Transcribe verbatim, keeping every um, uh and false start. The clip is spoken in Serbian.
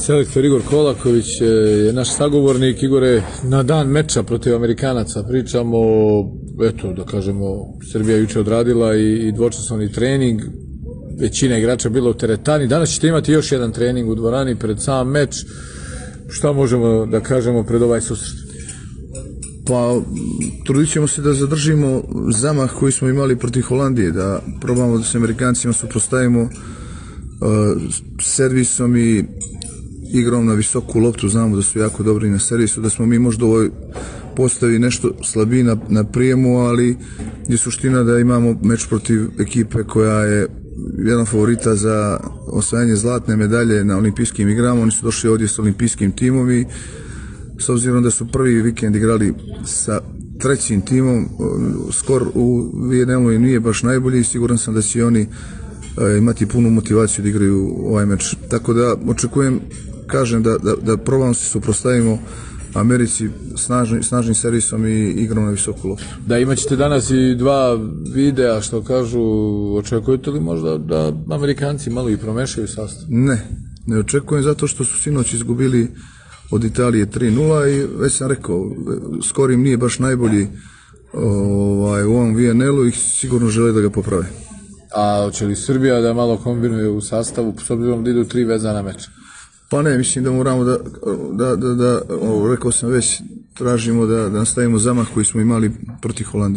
Selektor Igor Kolaković je naš sagovornik. Igore, na dan meča protiv Amerikanaca pričamo, eto, da kažemo, Srbija juče odradila i, i dvočasovni trening, većina igrača bila u teretani, danas ćete imati još jedan trening u dvorani pred sam meč. Šta možemo da kažemo pred ovaj susret? Pa, trudit ćemo se da zadržimo zamah koji smo imali protiv Holandije, da probamo da se Amerikancima suprotstavimo uh, servisom i igrom na visoku loptu. Znamo da su jako dobri na servisu, da smo mi možda u ovoj postavi nešto slabiji na, na prijemu, ali je suština da imamo meč protiv ekipe koja je jedan favorita za osvajanje zlatne medalje na olimpijskim igrama. Oni su došli ovdje s olimpijskim timom i s obzirom da su prvi vikend igrali sa trećim timom, skor u V N L-u nije baš najbolji i siguran sam da će oni imati punu motivaciju da igraju ovaj meč. Tako da očekujem, kažem, da, da, da probamo se suprotstavimo Americi snažni, snažnim servisom i igrom na visoku loptu. Da, imat ćete danas i dva videa, što kažu, očekujete li možda da Amerikanci malo i promešaju sastav? Ne, ne očekujem, zato što su sinoć izgubili od Italije tri nula i već sam rekao, skor im nije baš najbolji ovaj, u ovom V N L-u i sigurno žele da ga poprave. A hoće li Srbija da malo kombinuje u sastavu, s obzirom da idu tri vezana meča? Pa ne, mislim da moramo da, da, da, da o, rekao sam već, tražimo da, da nastavimo zamah koji smo imali protiv Holandije.